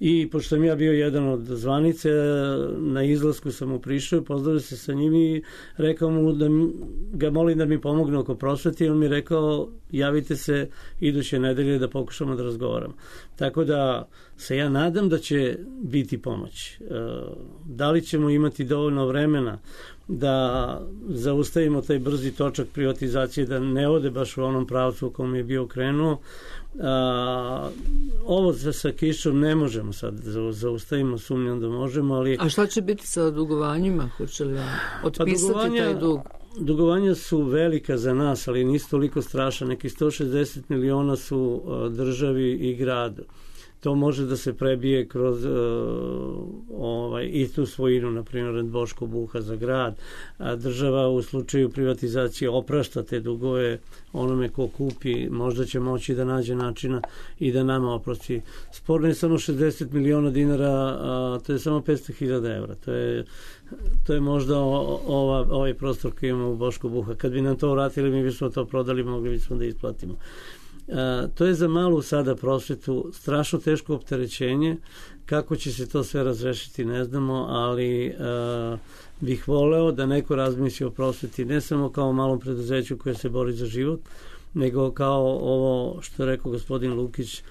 I pošto sam ja bio jedan od zvanice, na izlasku sam mu prišao, pozdravio se sa njim i rekao mu da ga molim da mi pomogne oko prosvete i on mi rekao javite se iduće nedelje da pokušamo da razgovaramo. Tako da se ja nadam da će biti pomoć. Da li ćemo imati dovoljno vremena da zaustavimo taj brzi točak privatizacije, da ne ode baš u onom pravcu u kom je bio krenuo. Ovo sa kišom ne možemo sad zaustavimo, sumnjam da možemo, ali... A šta će biti sa dugovanjima? Hoće li otpisati taj dug? Dugovanja su velika za nas, ali nisu toliko strašna. Neki 160 miliona su državi i gradu. To može da se prebije kroz i tu svojinu, na primjer Boško Buha za grad. Država u slučaju privatizacije oprašta te dugove onome ko kupi, možda će moći da nađe načina i da nama oprosti. Sporno je samo 60 miliona dinara, to je samo 500.000 evra. To je možda ovaj prostor koji imamo u Boško Buha. Kad bi nam to vratili, mi bismo to prodali, mogli bismo da isplatimo. To je za malu sada prosvetu strašno teško opterećenje. Kako će se to sve razrešiti ne znamo, ali bih voleo da neko razmisli o prosveti ne samo kao malom preduzeću koje se bori za život, nego kao ovo što je rekao gospodin Lukić,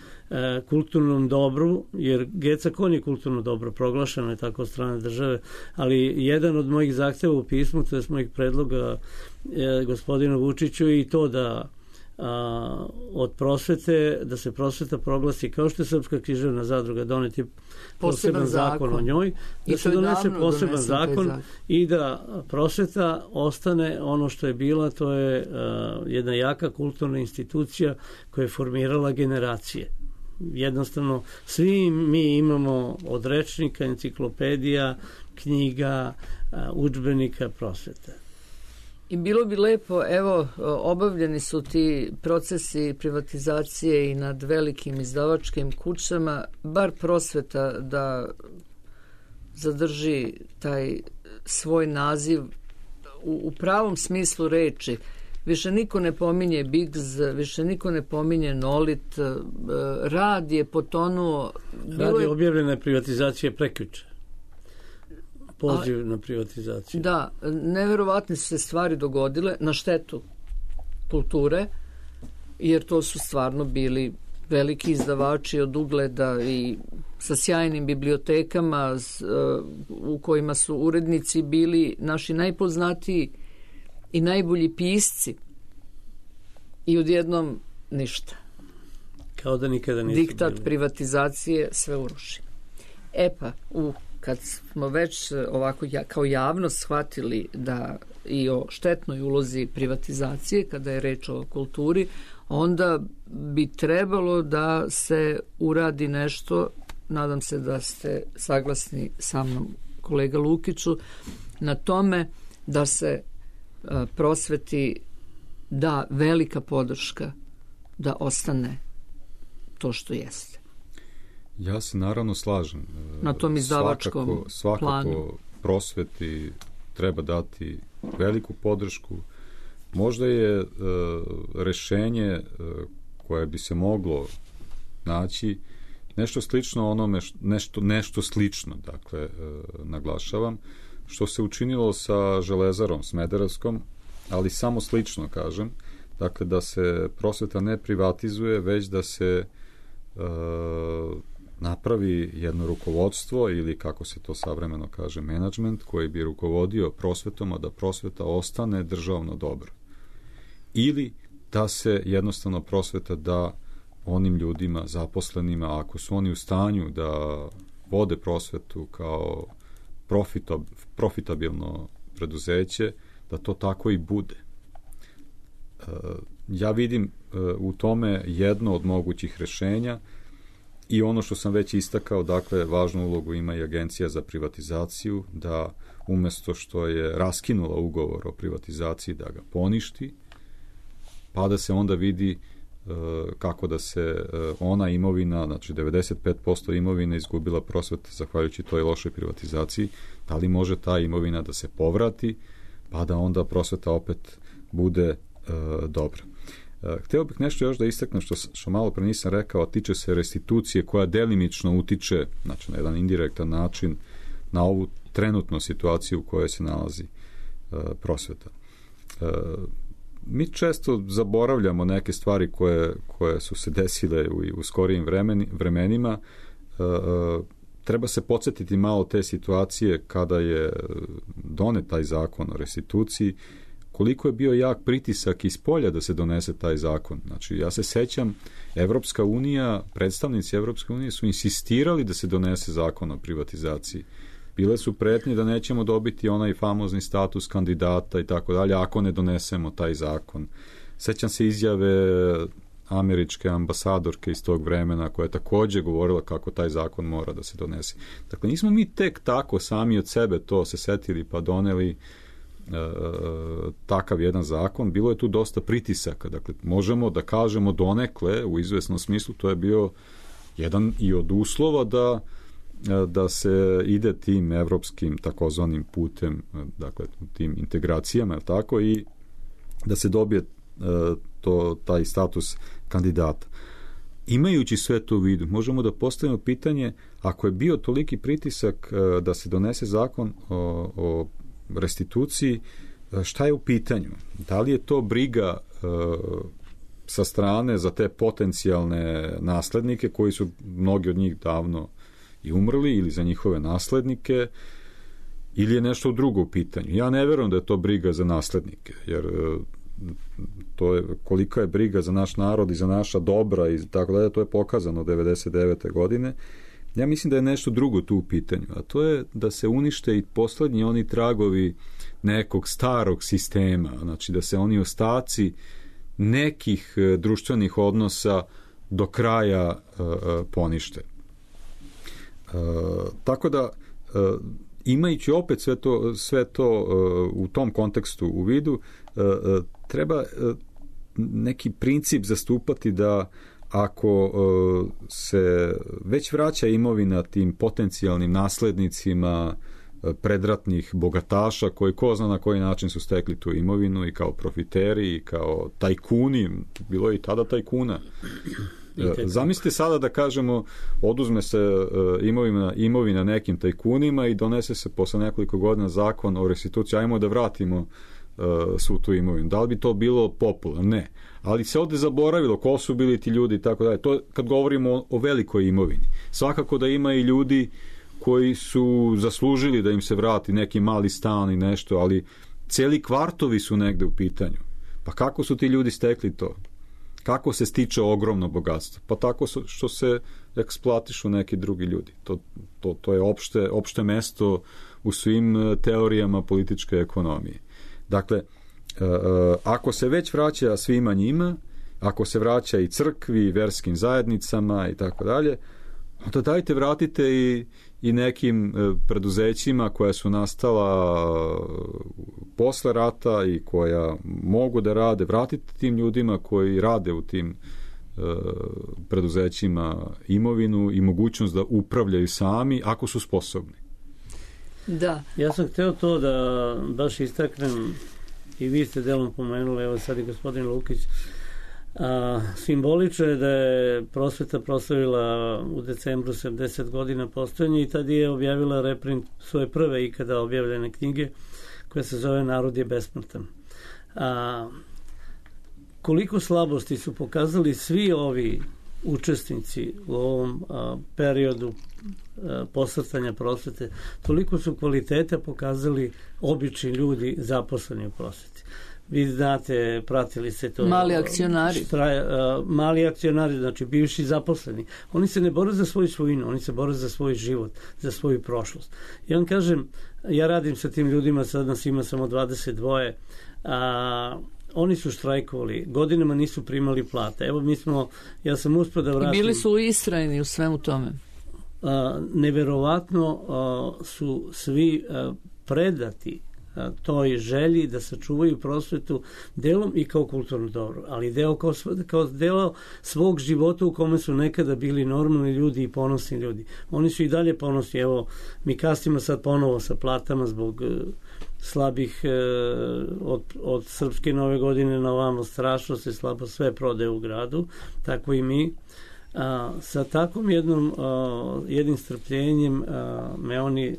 kulturnom dobru, jer Geca Kon je kulturno dobro, proglašeno je tako od strane države, ali jedan od mojih zahteva u pismu, to je mojih predloga gospodinu Vučiću i to da od prosvete, da se prosveta proglasi kao što je Srpska književna zadruga doneti poseban zakon o njoj, da se donese poseban zakon i da prosveta ostane ono što je bila, to je jedna jaka kulturna institucija koja je formirala generacije. Jednostavno, svi mi imamo od rečnika, enciklopedija, knjiga, udžbenika prosvete. I bilo bi lepo, evo, obavljeni su ti procesi privatizacije i nad velikim izdavačkim kućama, bar prosveta da zadrži taj svoj naziv u pravom smislu reči. Više niko ne pominje Bigz, više niko ne pominje Nolit, rad je potonuo. Rad je objavljena privatizacija prekjuče. Poziv na privatizaciju. Da, neverovatne su se stvari dogodile na štetu kulture, jer to su stvarno bili veliki izdavači od ugleda i sa sjajnim bibliotekama u kojima su urednici bili naši najpoznatiji i najbolji pisci i odjednom ništa. Kao da nikada nisu diktat bili. Privatizacije sve uruši. Pa, kad smo već ovako kao javnost shvatili da i o štetnoj ulozi privatizacije, kada je reč o kulturi, onda bi trebalo da se uradi nešto, nadam se da ste saglasni sa mnom, kolega Lukiću, na tome da se prosveti da velika podrška da ostane to što jeste. Ja se naravno slažem. Na tom izdavačkom planu. Svakako prosveti treba dati veliku podršku. Možda je rešenje koje bi se moglo naći nešto slično onome, nešto slično, dakle, naglašavam, što se učinilo sa Železarom Smederevskom, ali samo slično, kažem, dakle, da se prosveta ne privatizuje, već da se napravi jedno rukovodstvo ili, kako se to savremeno kaže, menadžment koji bi rukovodio prosvetom, a da prosveta ostane državno dobro. Ili da se jednostavno prosveta da onim ljudima, zaposlenima, ako su oni u stanju da vode prosvetu kao profitabilno preduzeće, da to tako i bude. Ja vidim u tome jedno od mogućih rešenja i ono što sam već istakao, dakle, važnu ulogu ima i Agencija za privatizaciju, da umesto što je raskinula ugovor o privatizaciji, da ga poništi, pa da se onda vidi kako da se ona imovina, znači 95% imovine izgubila prosveta zahvaljujući toj lošoj privatizaciji, da li može ta imovina da se povrati, pa da onda prosveta opet bude dobra. Hteo bih nešto još da istaknem što malo pre nisam rekao, a tiče se restitucije koja delimično utiče, znači na jedan indirektan način, na ovu trenutnu situaciju u kojoj se nalazi prosveta. Mi često zaboravljamo neke stvari koje su se desile u skorijim vremenima. Treba se podsjetiti malo te situacije kada je donet taj zakon o restituciji, koliko je bio jak pritisak iz polja da se donese taj zakon. Znači, ja se sećam, Evropska unija, predstavnici Evropske unije su insistirali da se donese zakon o privatizaciji. Bile su pretnje da nećemo dobiti onaj famozni status kandidata i tako dalje ako ne donesemo taj zakon. Sećam se izjave američke ambasadorke iz tog vremena koja je također govorila kako taj zakon mora da se donese. Dakle, nismo mi tek tako sami od sebe to se setili pa doneli takav jedan zakon. Bilo je tu dosta pritisaka. Dakle, možemo da kažemo donekle, u izvesnom smislu, to je bio jedan i od uslova da se ide tim evropskim takozvanim putem, dakle tim integracijama, je tako, i da se dobije taj status kandidata. Imajući sve to u vidu, možemo da postavimo pitanje, ako je bio toliki pritisak da se donese zakon o restituciji, šta je u pitanju? Da li je to briga sa strane za te potencijalne naslednike koji su mnogi od njih davno i umrli, ili za njihove naslednike, ili je nešto drugo u pitanju? Ja ne verujem da je to briga za naslednike, jer to je, kolika je briga za naš narod i za naša dobra i tako dalje, to je pokazano 99. godine. Ja mislim da je nešto drugo tu u pitanju, a to je da se unište i poslednji oni tragovi nekog starog sistema, znači da se oni ostaci nekih društvenih odnosa do kraja ponište. Tako da, imajući opet sve to u tom kontekstu u vidu, treba neki princip zastupati da ako se već vraća imovina tim potencijalnim naslednicima predratnih bogataša koji ko zna na koji način su stekli tu imovinu, i kao profiteri i kao tajkuni, bilo je i tada tajkuna. Zamislite sada da kažemo oduzme se imovina nekim tajkunima i donese se posle nekoliko godina zakon o restituciji, ajmo da vratimo svu tu imovinu. Da li bi to bilo popularno? Ne. Ali se ovde zaboravilo ko su bili ti ljudi i tako dalje. To kad govorimo o velikoj imovini. Svakako da ima i ljudi koji su zaslužili da im se vrati neki mali stan i nešto, ali celi kvartovi su negde u pitanju. Pa kako su ti ljudi stekli to? Kako se stiče ogromno bogatstvo? Pa tako što se eksploatišu neki drugi ljudi. To je opšte mesto u svim teorijama političke ekonomije. Dakle, ako se već vraća svima njima, ako se vraća i crkvi, i verskim zajednicama i tako dalje, onda dajte vratite i nekim preduzećima koja su nastala posle rata i koja mogu da rade, vratite tim ljudima koji rade u tim preduzećima imovinu i mogućnost da upravljaju sami ako su sposobni. Da. Ja sam hteo to da baš istaknem i vi ste delom pomenuli, evo sad i gospodin Lukić, simbolično je da je prosveta proslavila u decembru 70 godina postojanja i tad je objavila reprint svoje prve ikada objavljene knjige koja se zove Narod je besmrtan. Koliko slabosti su pokazali svi ovi učesnici u ovom periodu posrtanja prosvete, toliko su kvaliteta pokazali obični ljudi zaposleni u prosveti. Vi znate, pratili ste to. Mali akcionari. Mali akcionari, znači bivši zaposleni. Oni se ne bore za svoju svojinu, oni se bore za svoj život, za svoju prošlost. Ja vam kažem, ja radim sa tim ljudima, sad nas ima samo 22, oni su štrajkovali, godinama nisu primali plate. Evo ja sam uspio da vratim. I bili su istrajni u svemu tome. Neverovatno su svi predati toj želji da sačuvaju prosvetu delom i kao kulturno dobro, ali kao deo svog života u kome su nekada bili normalni ljudi i ponosni ljudi. Oni su i dalje ponosni. Evo, mi kasnimo sad ponovo sa platama zbog slabih od srpske nove godine na ovamo strašno se slabo sve prodaje u gradu, tako i mi. Sa takvom jednim strpljenjem me oni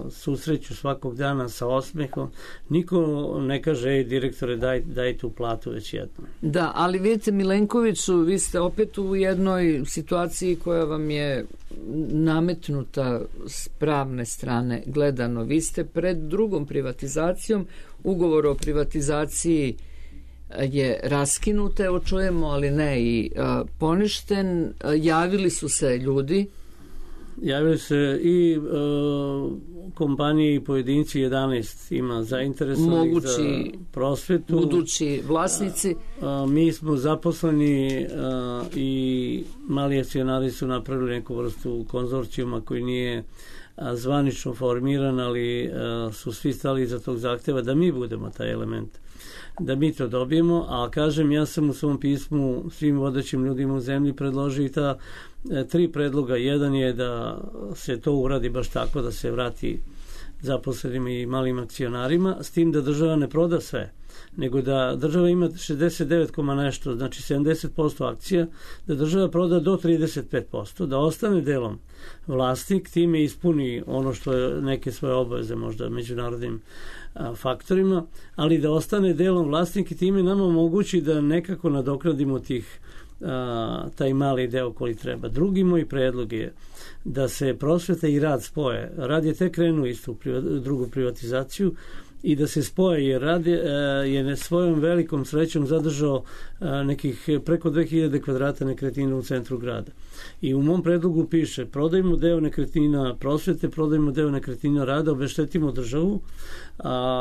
susreću svakog dana sa osmehom. Niko ne kaže, direktore, daj tu platu već jednom. Da, ali vidite, Milenkoviću, vi ste opet u jednoj situaciji koja vam je nametnuta s pravne strane gledano. Vi ste pred drugom privatizacijom, ugovor o privatizaciji je raskinut, evo čujemo, ali ne i poništen. Javili su se ljudi. Javili se i kompanije i pojedinci, 11 ima zainteresovanih za prosvetu. Budući vlasnici. Mi smo zaposleni i mali akcionari su napravili neku vrstu konzorcijuma koji nije zvanično formiran, ali su svi stali iza tog zahteva da mi budemo taj element, da mi to dobijemo, a kažem, ja sam u svom pismu svim vodećim ljudima u zemlji predložio i ta 3 predloga. Jedan je da se to uradi baš tako, da se vrati zaposlenim i malim akcionarima, s tim da država ne proda sve, nego da država ima 69, nešto, znači 70% akcija, da država proda do 35%, da ostane delom vlasnik, time ispuni ono što je neke svoje obaveze možda međunarodnim faktorima, ali da ostane delom vlasnik i time nam omogući da nekako nadoknadimo taj mali deo koji treba. Drugi moj predlog je da se prosveta i rad spoje. Rad je tek krenuo isto u drugu privatizaciju i da se spoje, jer rad je svojom velikom srećom zadržao nekih preko 2000 kvadrata nekretnina u centru grada. I u mom predlogu piše, prodajmo deo nekretnina prosvete, prodajmo deo nekretnina rada, obeštetimo državu,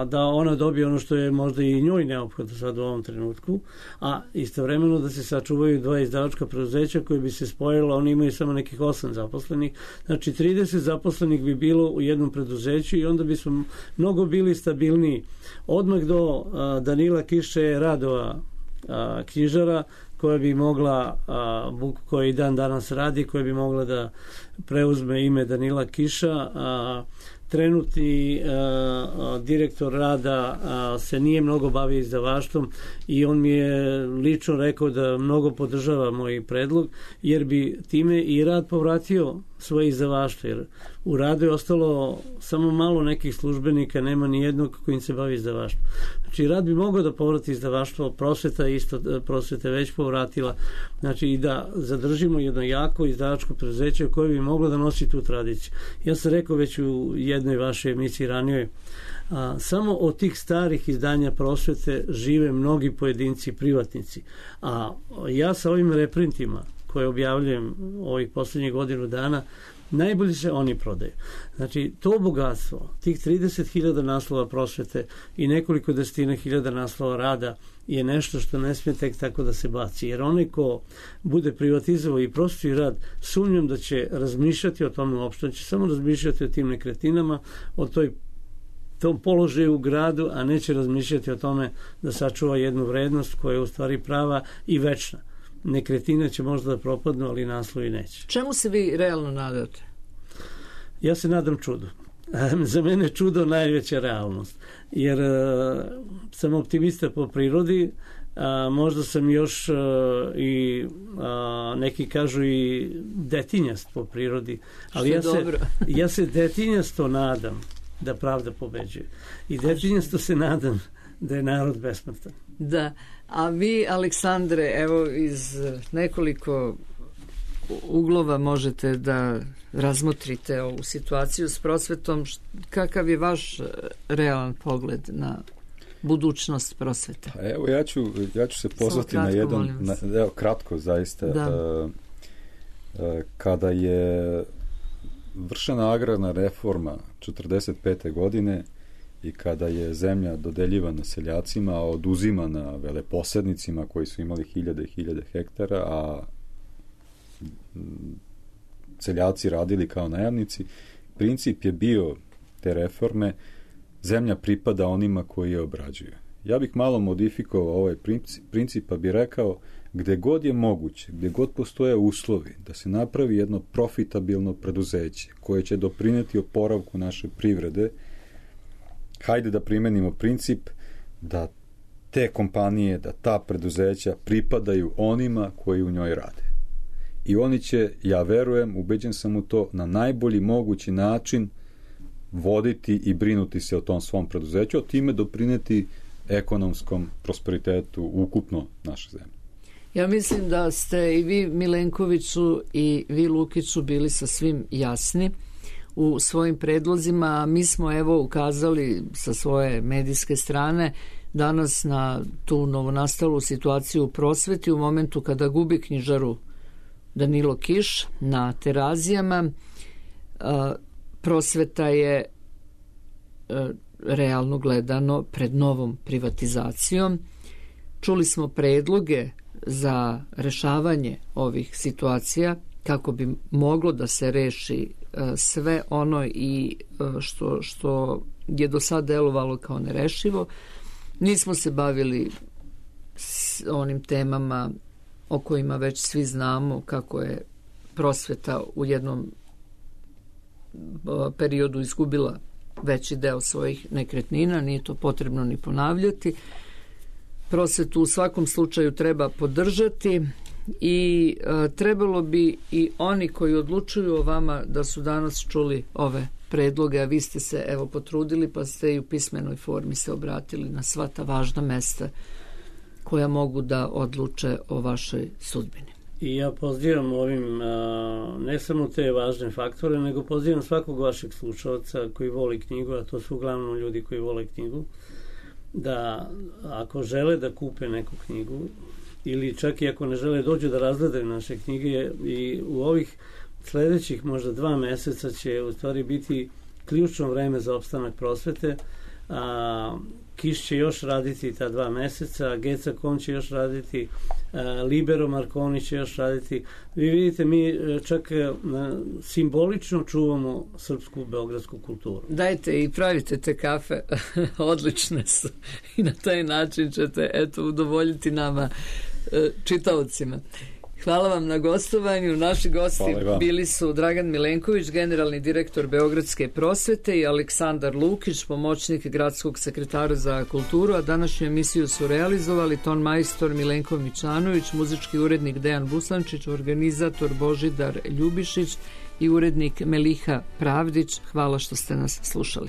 da ona dobije ono što je možda i njoj neophodno sad u ovom trenutku, a istovremeno da se sačuvaju 2 izdavačka preduzeća koje bi se spojila, oni imaju samo nekih 8 zaposlenih, znači 30 zaposlenih bi bilo u jednom preduzeću i onda bi smo mnogo bili stabilniji. Odmah do Danila Kiše Radova, knjižara, koja bi mogla, koji dan danas radi, koja bi mogla da preuzme ime Danila Kiša. Trenutni direktor rada se nije mnogo bavio izdavaštvom i on mi je lično rekao da mnogo podržava moj predlog, jer bi time i rad povratio svoje izdavaštvo, jer u radu je ostalo samo malo nekih službenika, nema ni jednog kojim se bavi izdavaštvom. Znači, rad bi mogao da povrati izdavaštvo, prosveta je već povratila, znači i da zadržimo jedno jako izdavačko preduzeće koje bi moglo da nosi tu tradiciju. Ja sam rekao već u jednoj vašoj emisiji ranijoj, samo od tih starih izdanja prosvete žive mnogi pojedinci, privatnici. A ja sa ovim reprintima koje objavljujem ovih poslednjih godinu dana, najbolje se oni prodaju. Znači, to bogatstvo, tih 30.000 naslova prosvete i nekoliko desetina hiljada naslova rada je nešto što ne smije tek tako da se baci. Jer onaj ko bude privatizovao i prosvetu i rad, sumnjam da će razmišljati o tome uopšte, da će samo razmišljati o tim nekretninama, o tom položaju u gradu, a neće razmišljati o tome da sačuva jednu vrednost koja je u stvari prava i večna. Nekretnine će možda da propadnu, ali naslovi neće. Čemu se vi realno nadate? Ja se nadam čudu. Za mene čudo najveća realnost. Jer sam optimista po prirodi, možda sam još i neki kažu i detinjast po prirodi. Ali ja se detinjasto nadam da pravda pobeđuje. I detinjasto se nadam da je narod besmrtan. Da, a vi, Aleksandre, evo iz nekoliko uglova možete da razmotrite ovu situaciju s prosvetom. Kakav je vaš realan pogled na budućnost prosvete? Evo, ja ću se pozvati na jedan, kratko zaista. Kada je vršena agrarna reforma 1945. godine i kada je zemlja dodeljivana seljacima, a oduzimana veleposednicima koji su imali hiljade i hiljade hektara, a seljaci radili kao najamnici, princip je bio te reforme: zemlja pripada onima koji je obrađuju. Ja bih malo modifikovao ovaj princip, pa bih rekao, gde god je moguće, gde god postoje uslovi da se napravi jedno profitabilno preduzeće koje će doprineti oporavku naše privrede, hajde da primenimo princip da te kompanije, da ta preduzeća pripadaju onima koji u njoj rade. I oni će, ja verujem, ubeđen sam u to, na najbolji mogući način voditi i brinuti se o tom svom preduzeću, a time doprineti ekonomskom prosperitetu ukupno naše zemlje. Ja mislim da ste i vi, Milenkoviću, i vi, Lukiću, bili sa svim jasni u svojim predlozima. Mi smo evo ukazali sa svoje medijske strane danas na tu novonastalu situaciju u prosveti u momentu kada gubi knjižaru Danilo Kiš na Terazijama. Prosveta je realno gledano pred novom privatizacijom. Čuli smo predloge za rešavanje ovih situacija kako bi moglo da se reši sve ono i što je do sad delovalo kao nerešivo. Nismo se bavili s onim temama o kojima već svi znamo, kako je prosveta u jednom periodu izgubila veći deo svojih nekretnina, nije to potrebno ni ponavljati. Prosvetu u svakom slučaju treba podržati i trebalo bi i oni koji odlučuju o vama da su danas čuli ove predloge, a vi ste se evo potrudili pa ste i u pismenoj formi se obratili na sva ta važna mesta koja mogu da odluče o vašoj sudbini. I ja pozivam ovim ne samo te važne faktore, nego pozivam svakog vašeg slušalca koji voli knjigu, a to su uglavnom ljudi koji vole knjigu, da ako žele da kupe neku knjigu ili čak i ako ne žele dođu da razgledaju naše knjige, i u ovih sledećih možda 2 meseca će u stvari biti ključno vreme za opstanak prosvete. Kiš će još raditi ta 2 meseca, Geca Kon će još raditi, Libero Marconi će još raditi. Vi vidite, mi čak simbolično čuvamo srpsku beogradsku kulturu. Dajte i pravite te kafe, odlične su i na taj način ćete udovoljiti nama čitaocima. Hvala vam na gostovanju. Naši gosti bili su Dragan Milenković, generalni direktor Beogradske prosvete, i Aleksandar Lukić, pomoćnik gradskog sekretara za kulturu, a današnju emisiju su realizovali ton majstor Milenko Mićanović, muzički urednik Dejan Buslančić, organizator Božidar Ljubišić i urednik Meliha Pravdić. Hvala što ste nas slušali.